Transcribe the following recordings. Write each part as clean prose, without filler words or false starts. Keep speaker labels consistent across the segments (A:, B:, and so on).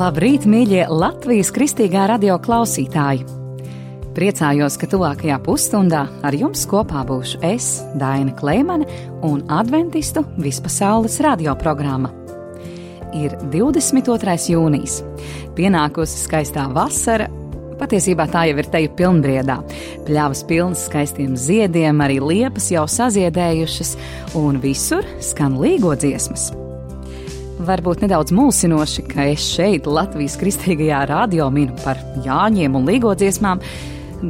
A: Labrīt, mīļie Latvijas kristīgā radio klausītāji! Priecājos, ka tuvākajā pusstundā ar jums kopā būšu es, Daina Kleimane, un adventistu vispasaules radioprogramma. Ir 22. jūnijas, pienākusi skaistā vasara, patiesībā tā jau ir teju pilnbriedā. Pļavas pilnas skaistiem ziediem, arī liepas jau saziedējušas, un visur skan līgo dziesmas. Varbūt nedaudz mulsinoši, ka es šeit Latvijas kristīgajā radio minu par Jāņiem un līgo dziesmām,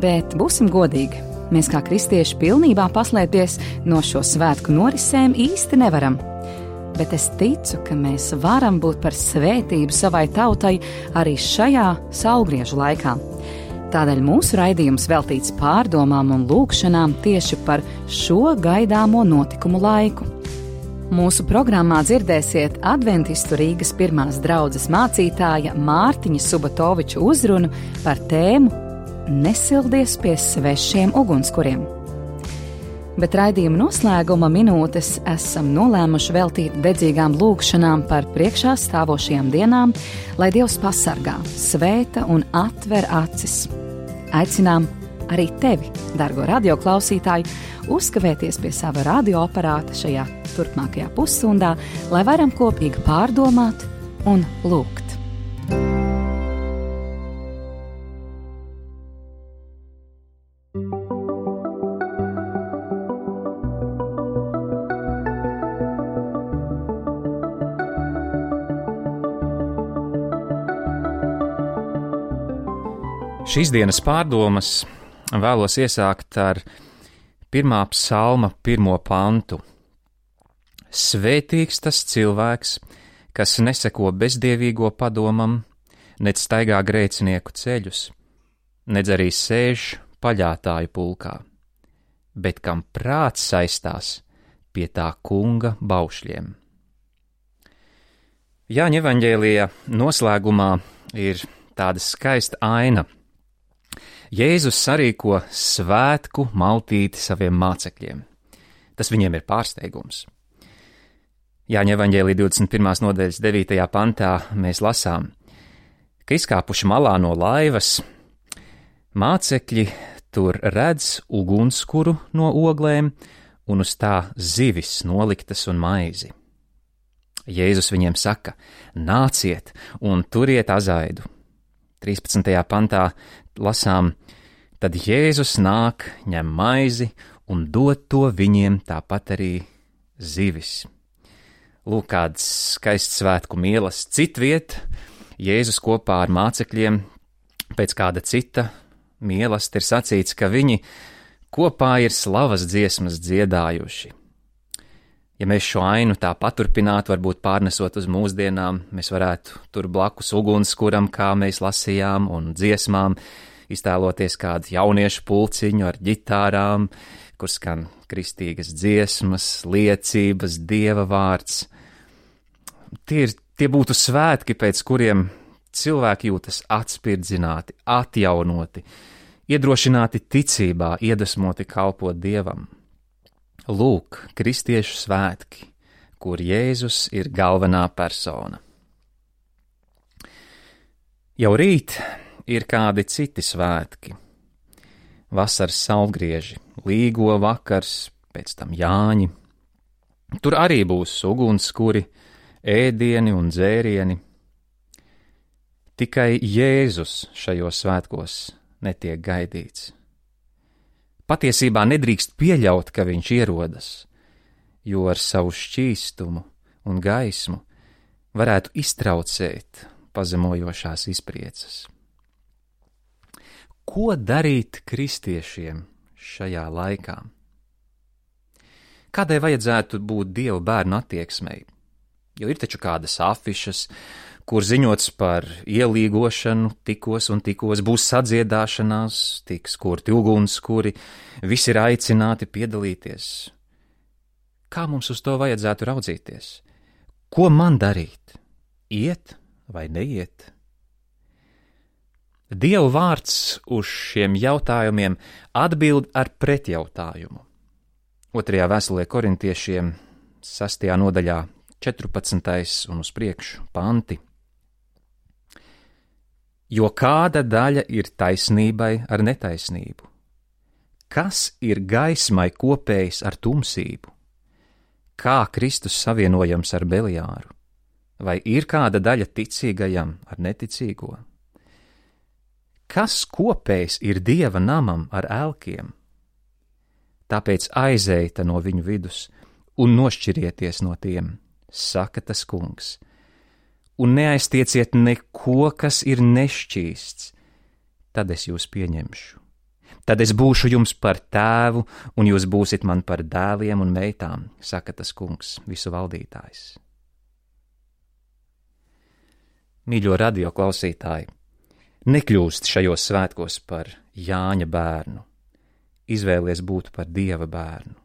A: bet būsim godīgi, mēs kā kristieši pilnībā paslēpties no šo svētku norisēm īsti nevaram. Bet es ticu, ka mēs varam būt par svētību savai tautai arī šajā saulgriežu laikā. Tādēļ mūsu raidījums veltīts pārdomām un lūkšanām tieši par šo gaidāmo notikumu laiku. Mūsu programmā dzirdēsiet adventistu Rīgas pirmās draudzes mācītāja Mārtiņa Subatoviča uzrunu par tēmu Nesildies pie svešiem ugunskuriem. Bet raidījuma noslēguma minūtes esam nolēmuši veltīt dedzīgām lūkšanām par priekšā stāvošajām dienām, lai Dievs pasargā, svēta un atver acis. Aicinām arī tevi, dargo radioklausītāju, uzkavēties pie sava radioaparāta šajā turpmākajā pusstundā, lai varam kopīgi pārdomāt un lūgt.
B: Šīs dienas pārdomas vēlos iesākt ar 1. psalma 1. pantu. Svētīgs tas cilvēks, kas neseko bezdievīgo padomam, nec staigā grēcinieku ceļus, nec arī sēž paļātāju pulkā, bet kam prāts saistās pie tā kunga baušļiem. Jāņa evaņģēlija noslēgumā ir tāda skaista aina. Jēzus sarīko svētku maltīti saviem mācekļiem. Tas viņiem ir pārsteigums. Jāņa evaņģēlija 21. nodaļas 9. pantā mēs lasām, ka izkāpuši malā no laivas, mācekļi tur redz ugunskuru no oglēm un uz tā zivis noliktas un maizi. Jēzus viņiem saka, nāciet un turiet azaidu. 13. pantā lasām, tad Jēzus nāk, ņem maizi un dod to viņiem tāpat arī zivis. Lūk, kāds skaists svētku mielas citviet, Jēzus kopā ar mācekļiem pēc kāda cita mielast ir sacīts, ka viņi kopā ir slavas dziesmas dziedājuši. Ja mēs šo ainu tā paturpinātu, varbūt pārnesot uz mūsdienām, mēs varētu tur blakus ugunskuram, kā mēs lasījām, un dziesmām, iztēloties kādu jauniešu pulciņu ar ģitārām, kur skan kristīgas dziesmas, liecības, Dieva vārds. Tie būtu svētki, pēc kuriem cilvēki jūtas atspirdzināti, atjaunoti, iedrošināti ticībā, iedvesmoti kalpot Dievam. Lūk, kristiešu svētki, kur Jēzus ir galvenā persona. Jau rīt ir kādi citi svētki. Vasaras saulgrieži, līgo vakars, pēc tam Jāņi. Tur arī būs ugunskuri, ēdieni un dzērieni. Tikai Jēzus šajos svētkos netiek gaidīts. Patiesībā nedrīkst pieļaut, ka viņš ierodas, jo ar savu šķīstumu un gaismu varētu iztraucēt pazemojošās izpriecas. Ko darīt kristiešiem šajā laikā? Kādai vajadzētu būt Dieva bērnu attieksmei? Jo ir taču kādas afišas, kur ziņots par ielīgošanu, tikos un tikos būs sadziedāšanās, tiks kurti ugunskuri, visi ir aicināti piedalīties. Kā mums uz to vajadzētu raudzīties? Ko man darīt? Iet vai neiet? Dieva vārds uz šiem jautājumiem atbild ar pretjautājumu. 2. vēstulē korintiešiem 6. nodaļā 14. un uz priekšu panti. Jo kāda daļa ir taisnībai ar netaisnību? Kas ir gaismai kopējs ar tumsību? Kā Kristus savienojams ar Beliāru? Vai ir kāda daļa ticīgajam ar neticīgo? Kas kopējs ir Dieva namam ar elkiem? Tāpēc aizeita no viņu vidus un nošķirieties no tiem, saka tas kungs, un neaiztieciet neko, kas ir nešķīsts, tad es jūs pieņemšu. Tad es būšu jums par tēvu, un jūs būsit man par dēliem un meitām, saka tas kungs, visu valdītājs. Mīļo radio klausītāji, nekļūst šajos svētkos par Jāņa bērnu, izvēlies būt par Dieva bērnu.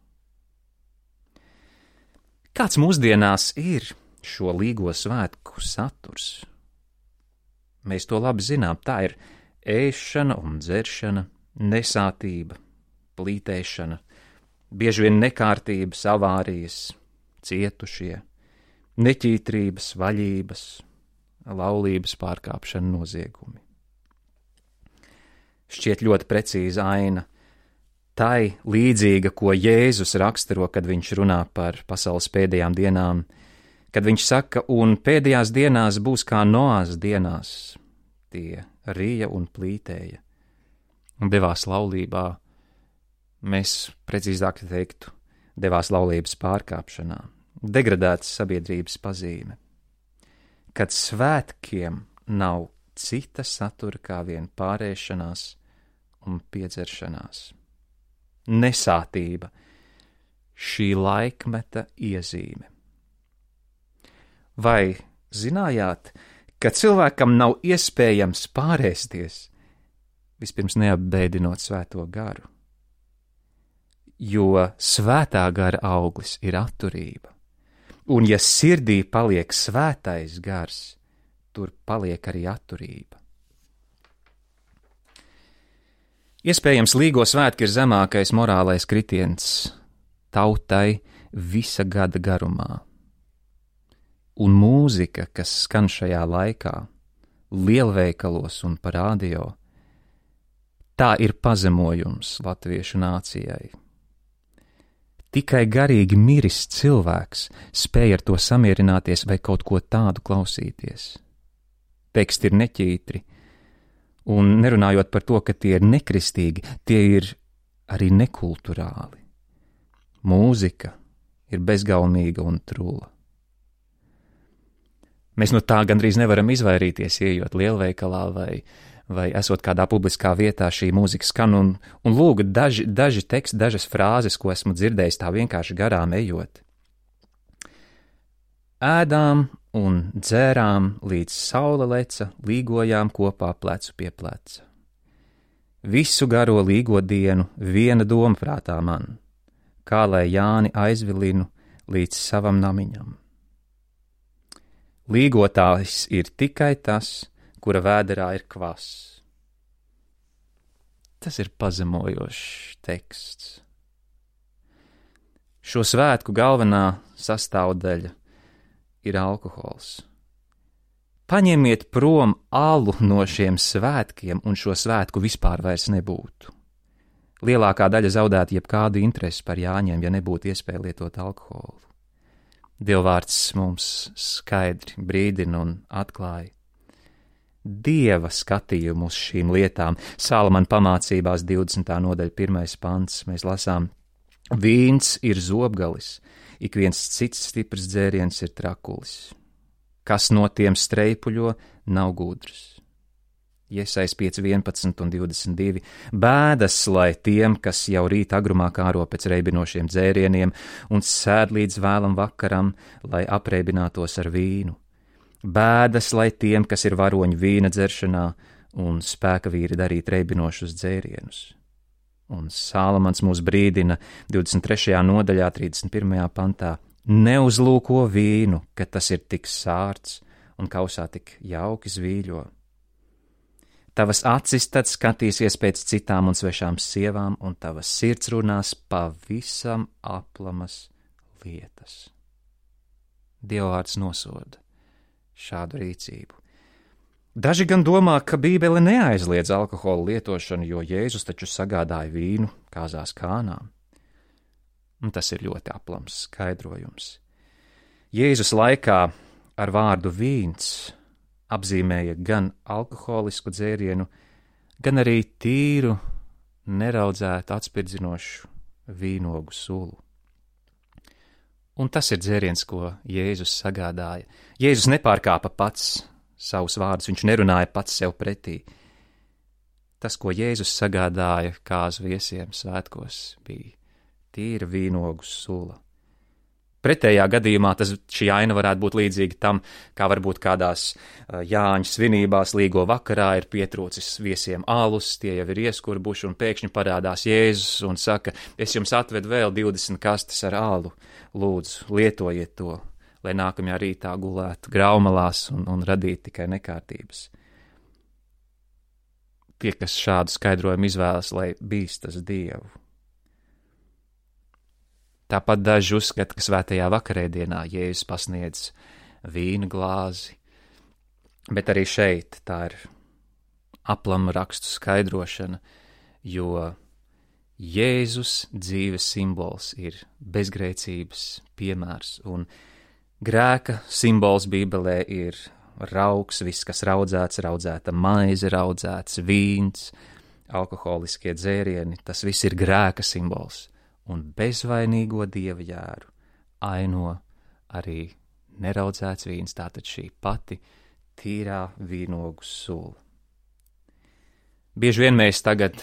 B: Kāds mūsdienās ir šo līgo svētku saturs? Mēs to labi zinām, tā ir ēšana un dzeršana, nesātība, plītēšana, bieži vien nekārtības, avārijas, cietušie, neķītrības, vaļības, laulības pārkāpšana, noziegumi. Šķiet ļoti precīza aina tai līdzīga, ko Jēzus raksturo, kad viņš runā par pasaules pēdējām dienām, kad viņš saka, un pēdējās dienās būs kā Noās dienās, tie rīja un plītēja, un devās laulībā, mēs precīzāk teiktu, devās laulības pārkāpšanā, degradētas sabiedrības pazīme, kad svētkiem nav cita satura kā vien pārēšanās un piedzeršanās. Nesātība, šī laikmeta iezīme. Vai zinājāt, ka cilvēkam nav iespējams pārēsties, vispirms neapbēdinot svēto garu? Jo svētā gara auglis ir atturība, un ja sirdī paliek svētais gars, tur paliek arī atturība. Iespējams, līgo svētki ir zemākais morālais kritiens tautai visa gada garumā. Un mūzika, kas skan šajā laikā, lielveikalos un pa radio, tā ir pazemojums latviešu nācijai. Tikai garīgi miris cilvēks spēj ar to samierināties vai kaut ko tādu klausīties. Teksti ir neķītri, un nerunājot par to, ka tie ir nekristīgi, tie ir arī nekulturāli. Mūzika ir bezgaumīga un trula. Mēs no tā gandrīz nevaram izvairīties, ejot lielveikalā vai esot kādā publiskā vietā, šī mūzika skan, un lūk, daži teksti, dažas frāzes, ko esmu dzirdējis tā vienkārši garām ejot. Ēdām un dzērām, līdz saule leca, līgojām kopā plecu pie pleca. Visu garo līgo dienu viena doma prātā man, kā lai Jāni aizvilinu līdz savam namiņam. Līgotājs ir tikai tas, kura vēderā ir kvass. Tas ir pazemojošs teksts. Šo svētku galvenā sastāvdaļa ir alkohols. Paņemiet prom alu no šiem svētkiem, un šo svētku vispār vairs nebūtu. Lielākā daļa zaudētu jebkādu interesi par Jāņiem, ja nebūtu iespēja lietot alkoholu. Dievvvārds mums skaidri brīdina un atklāja Dieva skatījumu uz šīm lietām. Salamana pamācībās 20. nodaļa 1. pants mēs lasām: Vīns ir zobgalis, ik viens cits stiprs dzēriens ir trakulis. Kas no tiem streipuļo, nav gudrs. Iesais 5, 11 un 22. Bēdas, lai tiem, kas jau rīt agrumā kāro pēc reibinošiem dzērieniem un sēd līdz vēlam vakaram, lai apreibinātos ar vīnu. Bēdas, lai tiem, kas ir varoņi vīna dzeršanā un spēka vīri darīt reibinošus dzērienus. Un Salamans mūs brīdina 23. nodaļā 31. pantā: Neuzlūko vīnu, ka tas ir tik sārts un kausā tik jauki zvīļo. Tavas acis tad skatīsies pēc citām un svešām sievām, un tavas sirds runās pavisam aplamas lietas. Dievvvārds nosoda šādu rīcību. Daži gan domā, ka Bībele neaizliedz alkohola lietošanu, jo Jēzus taču sagādāja vīnu kāzās Kānā. Un tas ir ļoti aplams skaidrojums. Jēzus laikā ar vārdu vīns apzīmēja gan alkoholisku dzērienu, gan arī tīru, neraudzētu, atspirdzinošu vīnogu sulu. Un tas ir dzēriens, ko Jēzus sagādāja. Jēzus nepārkāpa pats savus vārdus, viņš nerunāja pats sev pretī. Tas, ko Jēzus sagādāja kāzu viesiem svētkos, bija tīra vīnogu sula. Pretējā gadījumā šī aina varētu būt līdzīga tam, kā varbūt kādās Jāņa svinībās līgo vakarā ir pietrūcis viesiem alus, tie jau ir ieskurbuši un pēkšņi parādās Jēzus un saka, es jums atvedu vēl 20 kastes ar alu, lūdzu, lietojiet to, lai nākamajā rītā gulētu graumalās un radītu tikai nekārtības. Tie, kas šādu skaidrojumu izvēlas, lai bīstas Dievu. Tāpat daži uzskata, ka svētajā vakarēdienā Jēzus pasniedz vīna glāzi, bet arī šeit tā ir aplama rakstu skaidrošana, jo Jēzus dzīves simbols ir bezgrēcības piemērs, un grēka simbols Bībelē ir raugs, viss, kas raudzēts, raudzēta maize, raudzēts vīns, alkoholiskie dzērieni, tas viss ir grēka simbols. Un bezvainīgo dieva jēru aino arī neraudzēts vīns, tātad šī pati tīrā vīnogu sula. Bieži vien mēs tagad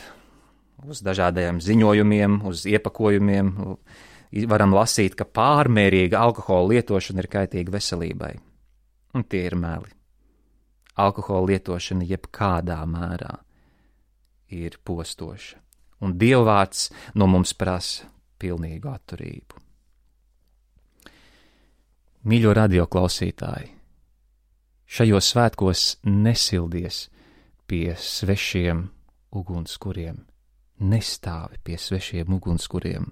B: uz dažādajiem ziņojumiem, uz iepakojumiem varam lasīt, ka pārmērīga alkohola lietošana ir kaitīga veselībai. Un tie ir meli. Alkohola lietošana jebkādā mērā ir postoša. Un Dievvvārds no mums prasa pilnīgu atturību. Mīļo radioklausītāji, šajos svētkos nesildies pie svešiem ugunskuriem, nestāvi pie svešiem ugunskuriem.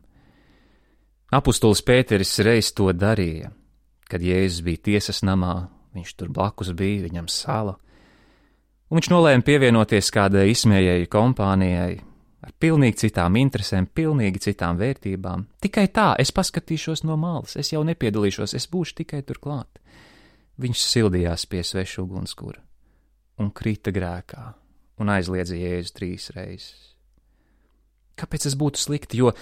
B: Apustulis Pēteris reiz to darīja, kad Jēzus bija tiesas namā, viņš tur blakus bija, viņam sala, un viņš nolēma pievienoties kādai izsmējēju kompānijai, ar pilnīgi citām interesēm, pilnīgi citām vērtībām. Tikai tā, es paskatīšos no malas, es jau nepiedalīšos, es būšu tikai tur klāt. Viņš sildījās pie sveša ugunskura un krita grēkā un aizliedza Jēzu 3 reizes. Kāpēc tas būtu slikti? Jo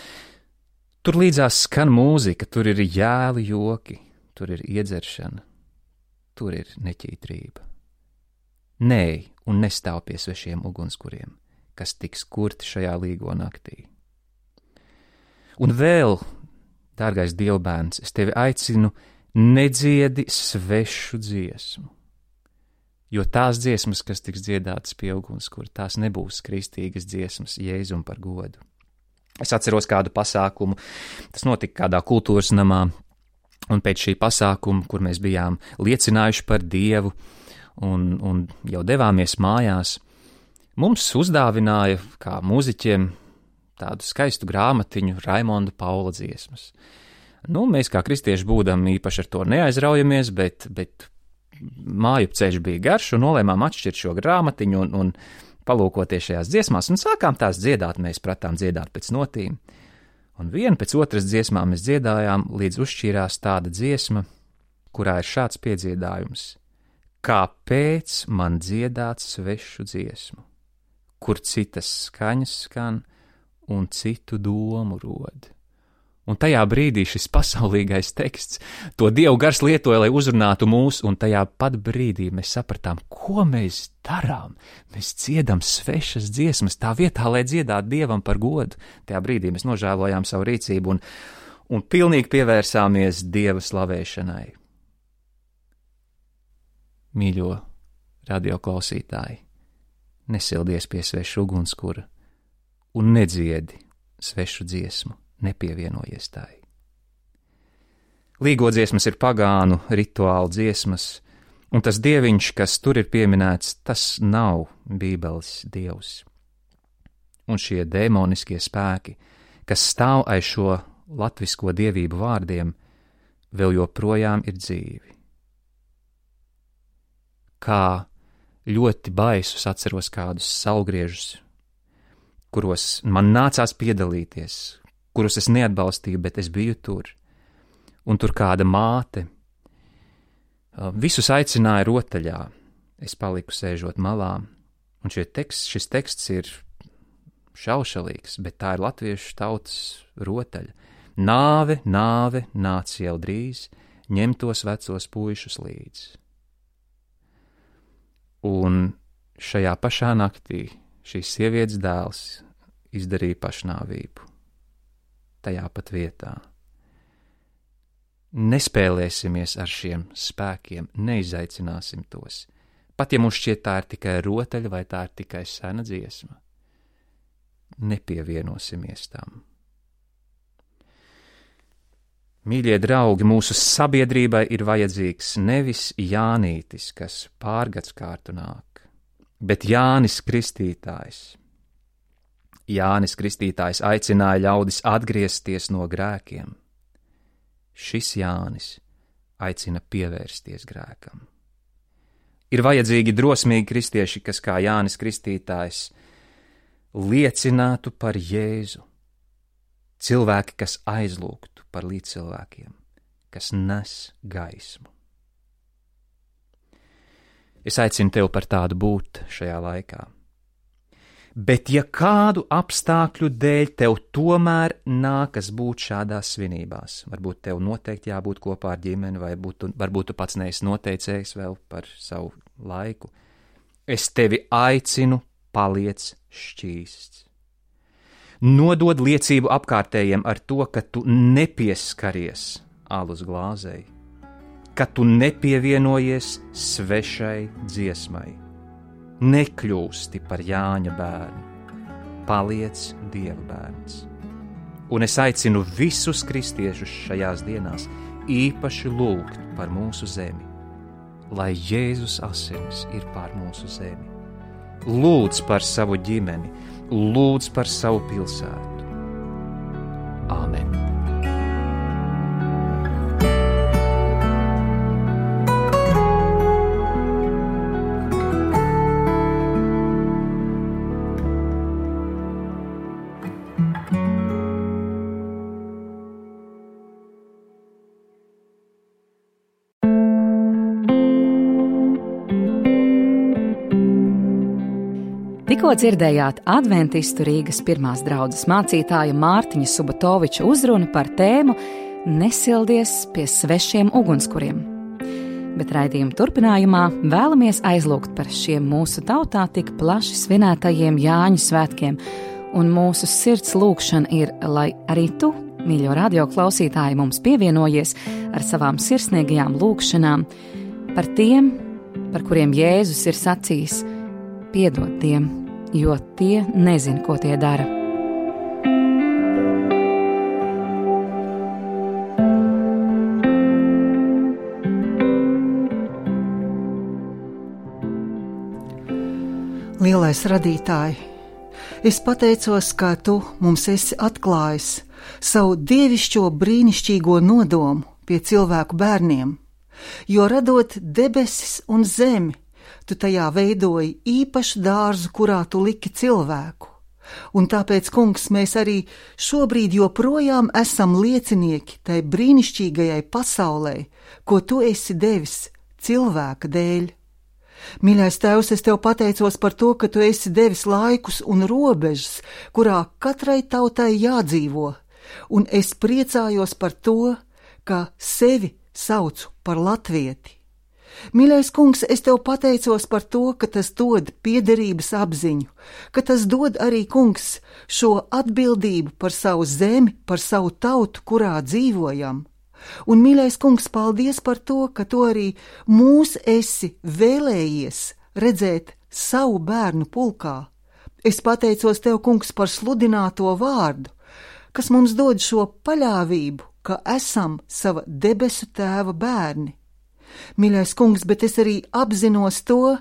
B: tur līdzās skan mūzika, tur ir jēli joki, tur ir iedzeršana, tur ir neķītrība. Nē, un nestāv pie svešiem ugunskuriem, kas tiks kurti šajā līgo naktī. Un vēl, dārgais Dievbērns, es tevi aicinu, nedziedi svešu dziesmu, jo tās dziesmas, kas tiks dziedātas pie ugunskura, tās nebūs kristīgas dziesmas Jēzum par godu. Es atceros kādu pasākumu, tas notika kādā kultūras namā, un pēc šī pasākuma, kur mēs bijām liecinājuši par Dievu un jau devāmies mājās, mums uzdāvināja, kā mūziķiem, tādu skaistu grāmatiņu Raimonda Paula dziesmas. Mēs kā kristieši būdam īpaši ar to neaizraujamies, bet māju ceļš bija garš un nolēmām atšķirt šo grāmatiņu un palūkoties šajās dziesmās un sākām tās dziedāt, mēs pratām dziedāt pēc notīm. Un vienu pēc otras dziesmām mēs dziedājām, līdz uzšķīrās tāda dziesma, kurā ir šāds piedziedājums. Kāpēc man dziedāt svešu dziesmu? Kur citas skaņas skan un citu domu rod. Un tajā brīdī šis pasaulīgais teksts, to Dievu gars lietoja, lai uzrunātu mūs, un tajā pat brīdī mēs sapratām, ko mēs darām. Mēs dziedam svešas dziesmas tā vietā, lai dziedātu Dievam par godu. Tajā brīdī mēs nožēlojām savu rīcību un pilnīgi pievērsāmies Dieva slavēšanai. Mīļo radioklausītāji, nesildies pie sveša ugunskura un nedziedi svešu dziesmu, nepievienojies tai. Līgo dziesmas ir pagānu rituālu dziesmas, un tas dieviņš, kas tur ir pieminēts, tas nav Bībeles dievs. Un šie demoniskie spēki, kas stāv aiz šo latvisko dievību vārdiem, vēl joprojām ir dzīvi. Kā ļoti baisus, atceros kādus saulgriežus, kuros man nācās piedalīties, kurus es neatbalstīju, bet es biju tur. Un tur kāda māte visus aicināja rotaļā. Es paliku sēžot malā, un šis teksts ir šaušalīgs, bet tā ir latviešu tautas rotaļa. Nāve, nāve, nāc jau drīz, ņem tos vecos puišus līdz. Un šajā pašā naktī šīs sievietes dēls izdarīja pašnāvību. Tajā pat vietā. Nespēlēsimies ar šiem spēkiem, neizaicināsim tos. Pat ja mums šķiet tā ir tikai rotaļa vai tā ir tikai sena dziesma, nepievienosimies tam. Mīļie draugi, mūsu sabiedrībai ir vajadzīgs nevis Jānītis, kas pārgadskārtu nāk, bet Jānis Kristītājs. Jānis Kristītājs aicināja ļaudis atgriezties no grēkiem. Šis Jānis aicina pievērsties grēkam. Ir vajadzīgi drosmīgi kristieši, kas kā Jānis Kristītājs liecinātu par Jēzu. Cilvēki, kas aizlūgtu par līdzcilvēkiem, kas nes gaismu. Es aicinu tevi par tādu būt šajā laikā. Bet ja kādu apstākļu dēļ tev tomēr nākas būt šādās svinībās, varbūt tev noteikti jābūt kopā ar ģimeni, vai varbūt tu pats neesi noteicējis vēl par savu laiku, es tevi aicinu, paliec šķīsts. Nodod liecību apkārtējiem ar to, ka tu nepieskaries alus glāzei, ka tu nepievienojies svešai dziesmai, nekļūsti par Jāņa bērnu, paliec Dieva bērns. Un es aicinu visus kristiešus šajās dienās īpaši lūgt par mūsu zemi, lai Jēzus asinis ir pār mūsu zemi. Lūdz par savu ģimeni, lūdz par savu pilsētu. Āmen.
A: Tikko dzirdējāt adventistu Rīgas pirmās draudzes mācītāja Mārtiņa Subotoviča uzrunu par tēmu Nesildies pie svešiem ugunskuriem. Bet raidījuma turpinājumā vēlamies aizlūgt par šiem mūsu tautā tik plaši svinētajiem Jāņu svētkiem, un mūsu sirds lūgšana ir, lai arī tu, mīļo radioklausītāji, mums pievienojies ar savām sirsnīgajām lūgšanām par tiem, par kuriem Jēzus ir sacījis: piedod tiem, jo tie nezin, ko tie dara.
C: Lielais radītāji, es pateicos, ka tu mums esi atklājis savu dievišķo brīnišķīgo nodomu pie cilvēku bērniem, jo radot debesis un zemi, tu tajā veidoji īpašu dārzu, kurā tu liki cilvēku. Un tāpēc, kungs, mēs arī šobrīd joprojām esam liecinieki tai brīnišķīgajai pasaulē, ko tu esi devis cilvēka dēļ. Mīļais Tēvs, es tev pateicos par to, ka tu esi devis laikus un robežas, kurā katrai tautai jādzīvo, un es priecājos par to, ka sevi saucu par latvieti. Mīļais kungs, es tev pateicos par to, ka tas dod piederības apziņu, ka tas dod arī, kungs, šo atbildību par savu zemi, par savu tautu, kurā dzīvojam. Un, mīļais kungs, paldies par to, ka tu arī mūs esi vēlējies redzēt savu bērnu pulkā. Es pateicos tev, kungs, par sludināto vārdu, kas mums dod šo paļāvību, ka esam sava debesu tēva bērni. Mīļais kungs, bet es arī apzinos to,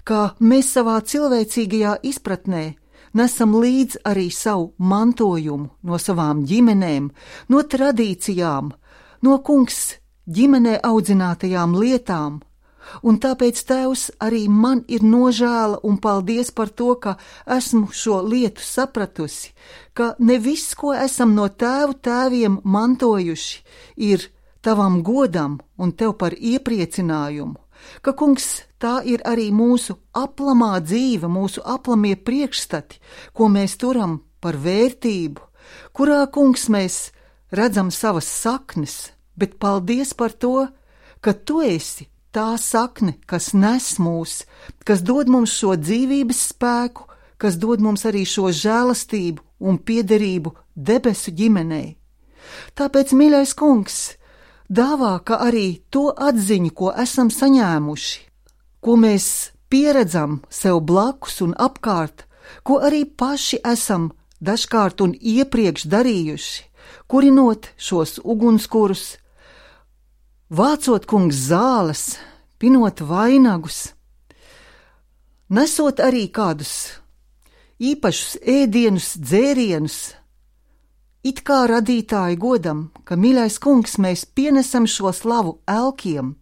C: ka mēs savā cilvēcīgajā izpratnē nesam līdz arī savu mantojumu no savām ģimenēm, no tradīcijām, no, kungs, ģimenē audzinātajām lietām, Un tāpēc, Tēvs, arī man ir nožēla un paldies par to, ka esmu šo lietu sapratusi, ka ne viss, ko esam no tēvu tēviem mantojuši, ir tavam godam un tev par iepriecinājumu, ka, kungs, tā ir arī mūsu aplamā dzīve, mūsu aplamie priekšstati, ko mēs turam par vērtību, kurā, kungs, mēs redzam savas saknes, bet paldies par to, ka tu esi tā sakne, kas nes mūs, kas dod mums šo dzīvības spēku, kas dod mums arī šo žēlastību un piederību debesu ģimenei. Tāpēc, mīļais kungs, dāvā, ka arī to atziņu, ko esam saņēmuši, ko mēs pieredzam sev blakus un apkārt, ko arī paši esam dažkārt un iepriekš darījuši, kurinot šos ugunskurus, vācot, kungs, zāles, pinot vainagus, nesot arī kādus īpašus ēdienus, dzērienus, it kā radītāju godam, ka, mīļais kungs, mēs pienesam šo slavu elkiem,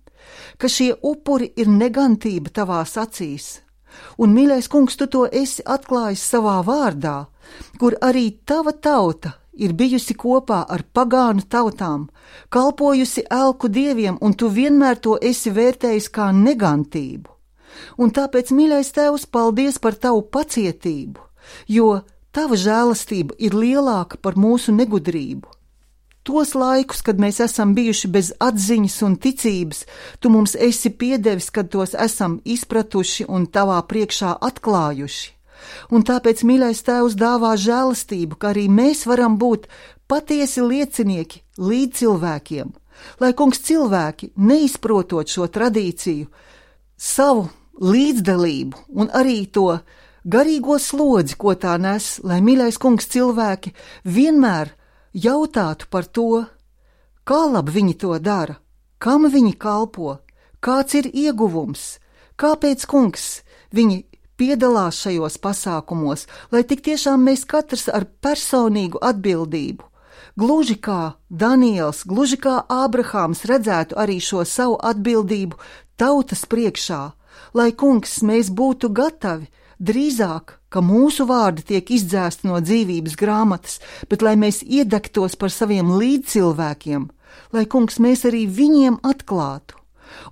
C: ka šie upuri ir negantība tavās acīs. Un, mīļais kungs, tu to esi atklājis savā vārdā, kur arī tava tauta ir bijusi kopā ar pagānu tautām, kalpojusi elku dieviem, un tu vienmēr to esi vērtējis kā negantību. Un tāpēc, mīļais Tēvs, paldies par tavu pacietību, jo tava žēlastība ir lielāka par mūsu negudrību. Tos laikus, kad mēs esam bijuši bez atziņas un ticības, tu mums esi piedevis, kad tos esam izpratuši un tavā priekšā atklājuši. Un tāpēc, mīļais Tēvs, dāvā žēlastību, ka arī mēs varam būt patiesi liecinieki līdz cilvēkiem, lai, kungs, cilvēki, neizprotot šo tradīciju, savu līdzdalību un arī to garīgo slodzi, ko tā nes, lai, mīļais kungs, cilvēki vienmēr jautātu par to, kā labi viņi to dara, kam viņi kalpo, kāds ir ieguvums, kāpēc, kungs, viņi piedalās šajos pasākumos, lai tik tiešām mēs katrs ar personīgu atbildību, gluži kā Daniels, gluži kā Ābrahāms redzētu arī šo savu atbildību tautas priekšā, lai, kungs, mēs būtu gatavi drīzāk, ka mūsu vārdi tiek izdzēsti no dzīvības grāmatas, bet lai mēs iedegtos par saviem līdzcilvēkiem, lai, kungs, mēs arī viņiem atklātu.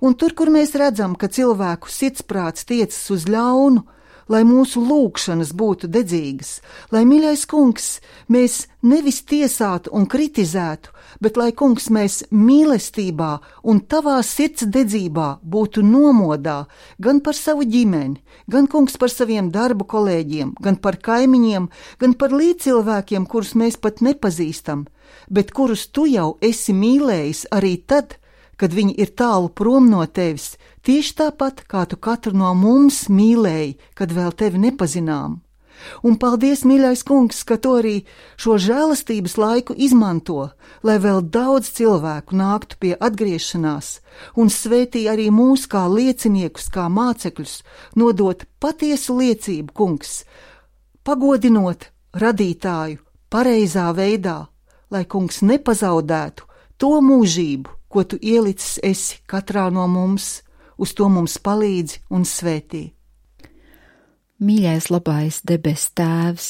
C: Un tur, kur mēs redzam, ka cilvēku sirdsprāts tiecas uz ļaunu, lai mūsu lūgšanas būtu dedzīgas, lai, mīļais kungs, mēs nevis tiesātu un kritizētu, bet lai, kungs, mēs mīlestībā un tavā sirds dedzībā būtu nomodā gan par savu ģimeni, gan, kungs, par saviem darbu kolēģiem, gan par kaimiņiem, gan par līdzcilvēkiem, kurus mēs pat nepazīstam, bet kurus tu jau esi mīlējis arī tad, kad viņi ir tālu prom no tevis, tieši tāpat, kā tu katru no mums mīlēji, kad vēl tevi nepazinām. Un paldies, mīļais kungs, ka tu arī šo žēlastības laiku izmanto, lai vēl daudz cilvēku nāktu pie atgriešanās un svētī arī mūs kā lieciniekus, kā mācekļus, nodot patiesu liecību, kungs, pagodinot radītāju pareizā veidā, lai, kungs, nepazaudētu to mūžību, ko tu ielicis esi katrā no mums, uz to mums palīdzi un svētī.
D: Mīļais labais debes Tēvs,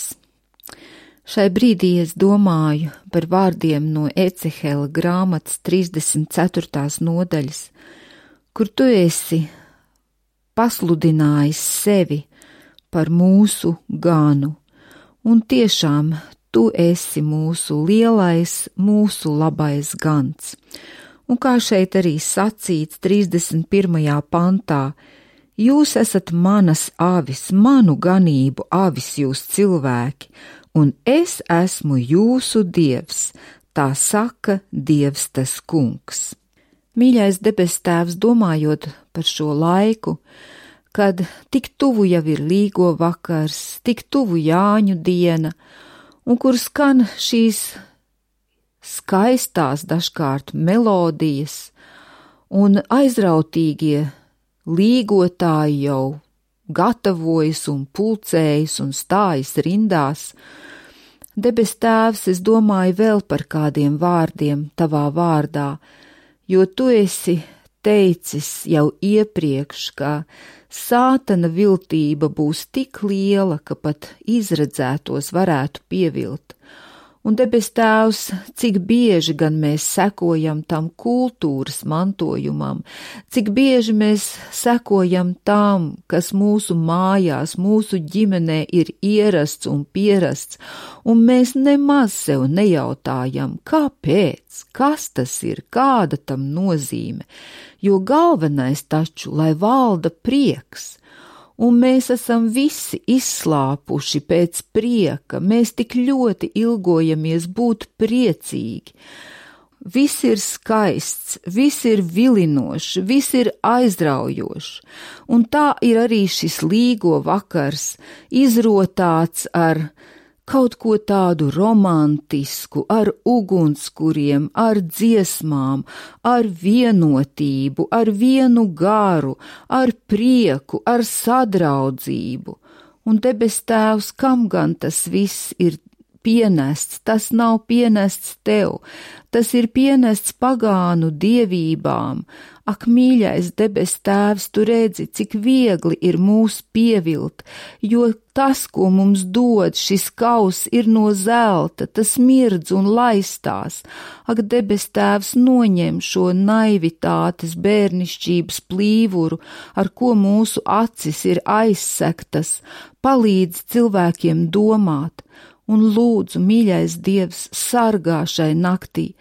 D: šai brīdī es domāju par vārdiem no Ecehela grāmatas 34. nodaļas, kur tu esi pasludinājis sevi par mūsu ganu, un tiešām tu esi mūsu lielais, mūsu labais gans. Un kā šeit arī sacīts 31. pantā, jūs esat manas avis, manu ganību avis jūs cilvēki, un es esmu jūsu Dievs, tā saka Dievs tas kungs. Mīļais debes Tēvs, domājot par šo laiku, kad tik tuvu jau ir līgo vakars, tik tuvu Jāņu diena, un kur skan šīs skaistās dažkārt melodijas, un aizrautīgie līgotāji jau gatavojas un pulcējas un stājas rindās. Debes Tēvs, es domāju vēl par kādiem vārdiem tavā vārdā, jo tu esi teicis jau iepriekš, ka sātana viltība būs tik liela, ka pat izredzētos varētu pievilt. Un debes Tēvs, cik bieži gan mēs sekojam tam kultūras mantojumam, cik bieži mēs sekojam tam, kas mūsu mājās, mūsu ģimenē ir ierasts un pierasts, un mēs nemaz sev nejautājam, kāpēc, kas tas ir, kāda tam nozīme, jo galvenais taču, lai valda prieks. Un mēs esam visi izslāpuši pēc prieka, mēs tik ļoti ilgojamies būt priecīgi. Viss ir skaists, viss ir vilinošs, viss ir aizraujošs, un tā ir arī šis līgo vakars, izrotāts ar kaut ko tādu romantisku, ar ugunskuriem, ar dziesmām, ar vienotību, ar vienu garu, ar prieku, ar sadraudzību. Un debes Tēvs, kam gan tas viss ir pienests? Tas nav pienests tev, tas ir pienests pagānu dievībām. Ak, mīļais debes Tēvs, tu redzi, cik viegli ir mūs pievilt, jo tas, ko mums dod šis kauss, ir no zelta, tas mirdz un laistās. Ak, debes Tēvs, noņem šo naivitātes bērnišķības plīvuru, ar ko mūsu acis ir aizsektas, palīdz cilvēkiem domāt. Un lūdzu, mīļais Dievs, sargā šai naktī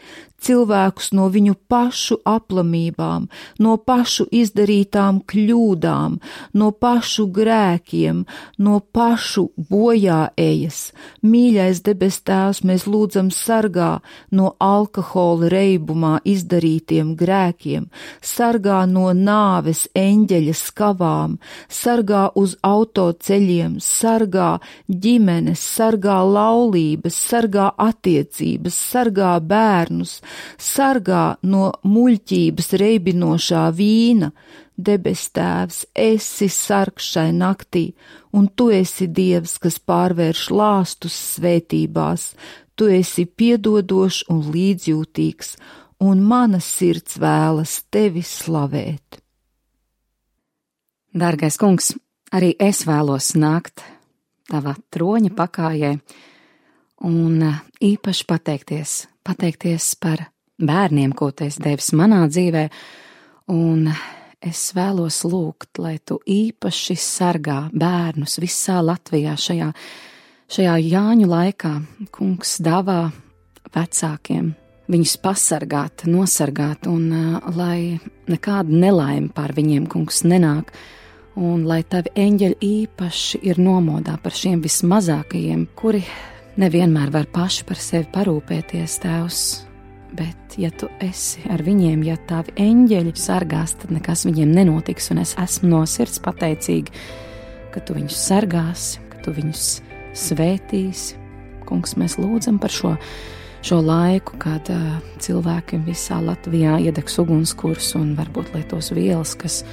D: cilvēkus no viņu pašu aplamībām, no pašu izdarītām kļūdām, no pašu grēkiem, no pašu bojāejas. Mīļais debes Tēvs, mēs lūdzam sargā no alkohola reibumā izdarītiem grēkiem, sargā no nāves eņģeļa skavām, sargā uz autoceļiem, sargā ģimenes, sargā laulības, sargā attiecības, sargā bērnus, sargā no muļķības reibinošā vīna. Debes Tēvs, esi sargs šai naktī, un tu esi Dievs, kas pārvērš lāstus svētībās, tu esi piedodošs un līdzjūtīgs, un mana sirds vēlas tevi slavēt.
A: Dārgais kungs, arī es vēlos nākt tava troņa pakājē un īpaši pateikties par bērniem, ko tu esi devis manā dzīvē, un es vēlos lūgt, lai tu īpaši sargā bērnus visā Latvijā šajā Jāņu laikā. Kungs dāvā vecākiem viņus pasargāt, nosargāt, un lai nekāda nelaime pār viņiem, kungs, nenāk, un lai tavi eņģeļi īpaši ir nomodā par šiem vismazākajiem, kuri nevienmēr var paši par sevi parūpēties, Tēvs, bet ja tu esi ar viņiem, ja tavi eņģeļi sargās, tad nekas viņiem nenotiks, un es esmu no sirds pateicīga, ka tu viņus sargāsi, ka tu viņus svētīsi. Kungs, mēs lūdzam par šo laiku, kad cilvēki visā Latvijā iedegs ugunskurs un varbūt lietos vielas, kas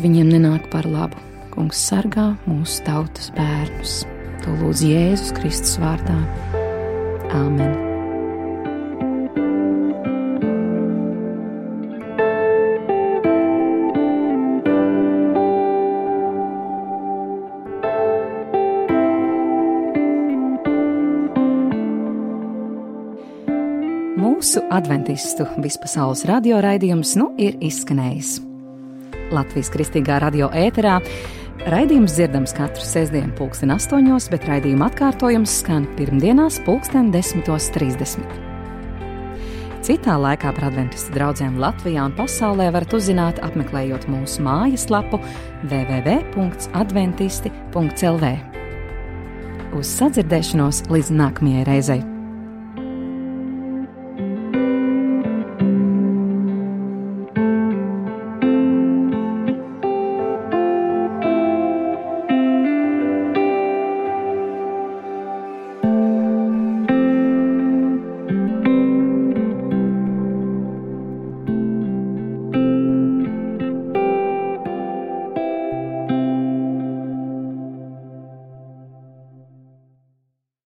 A: viņiem nenāk par labu. Kungs, sargā mūsu tautas bērnus. To lūdz Jēzus Kristus vārdā. Āmen. Mūsu adventistu vispasaules radio raidījums ir izskanējis. Latvijas Kristīgā radio ēterā raidījums dzirdams katru sestdienu 8:00, bet raidījuma atkārtojums skan pirmdienās 10:30. Citā laikā par adventistu draudzēm Latvijā un pasaulē varat uzzināt, apmeklējot mūsu mājaslapu www.adventisti.lv. Uz sadzirdēšanos līdz nākamajai reizei!